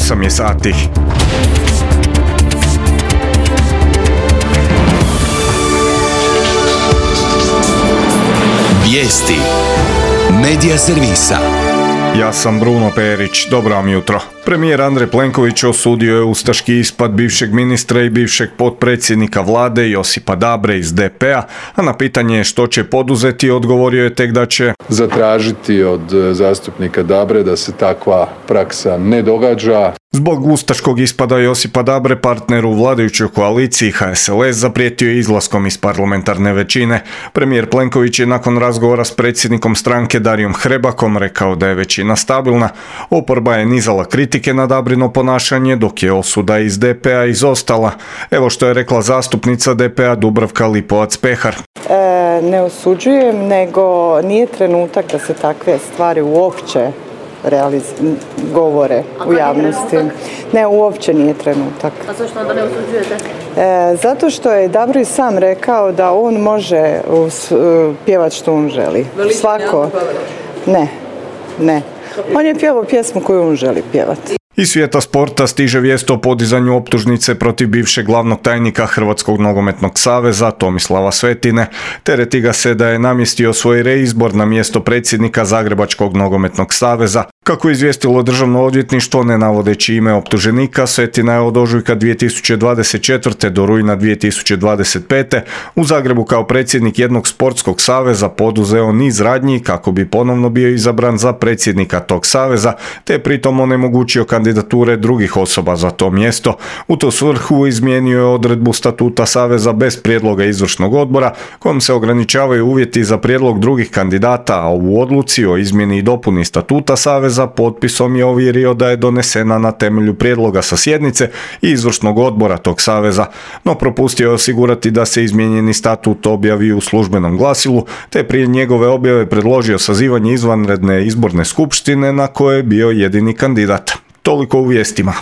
8 je sati. Vijesti Medija servisa. Ja sam Bruno Perić, dobro vam jutro. Premijer Andrej Plenković osudio je ustaški ispad bivšeg ministra i bivšeg potpredsjednika vlade Josipa Dabre iz DP-a, a na pitanje što će poduzeti odgovorio je tek da će zatražiti od zastupnika Dabre da se takva praksa ne događa. Zbog ustaškog ispada Josipa Dabre, partner u vladajućoj koaliciji HSLS zaprijetio je izlaskom iz parlamentarne većine. Premijer Plenković je nakon razgovora s predsjednikom stranke Darijom Hrebakom rekao da je većina stabilna. Oporba je nizala kritike na Dabrino ponašanje, dok je osuda iz DP-a izostala. Evo što je rekla zastupnica DP-a Dubravka Lipovac-Pehar. Ne osuđujem, nego nije trenutak da se takve stvari uopće govore u javnosti. Ne, uopće nije trenutak. A zašto onda ne osuđujete? Zato što je Dabro i sam rekao da on može pjevati što on želi. Svako. Ne. On je pjevao pjesmu koju on želi pjevati. Iz svijeta sporta stiže vijest o podizanju optužnice protiv bivšeg glavnog tajnika Hrvatskog nogometnog saveza Tomislava Svetine. Tereti ga se da je namjestio svoj reizbor na mjesto predsjednika Zagrebačkog nogometnog saveza. Kako je izvijestilo Državno odvjetništvo, ne navodeći ime optuženika, Svetina je od ožujka 2024. do rujna 2025. u Zagrebu kao predsjednik jednog sportskog saveza poduzeo niz radnji kako bi ponovno bio izabran za predsjednika tog saveza, te pritom onemogućio kandidature drugih osoba za to mjesto. U tu svrhu izmijenio je odredbu statuta saveza bez prijedloga izvršnog odbora, kojom se ograničavaju uvjeti za prijedlog drugih kandidata, a u odluci o izmjeni i dopuni statuta saveza potpisom je ovjerio da je donesena na temelju prijedloga sa sjednice i izvršnog odbora tog saveza, no propustio je osigurati da se izmijenjeni statut objavi u službenom glasilu, te prije njegove objave predložio sazivanje izvanredne izborne skupštine na koje je bio jedini kandidat. Toliko u vijestima.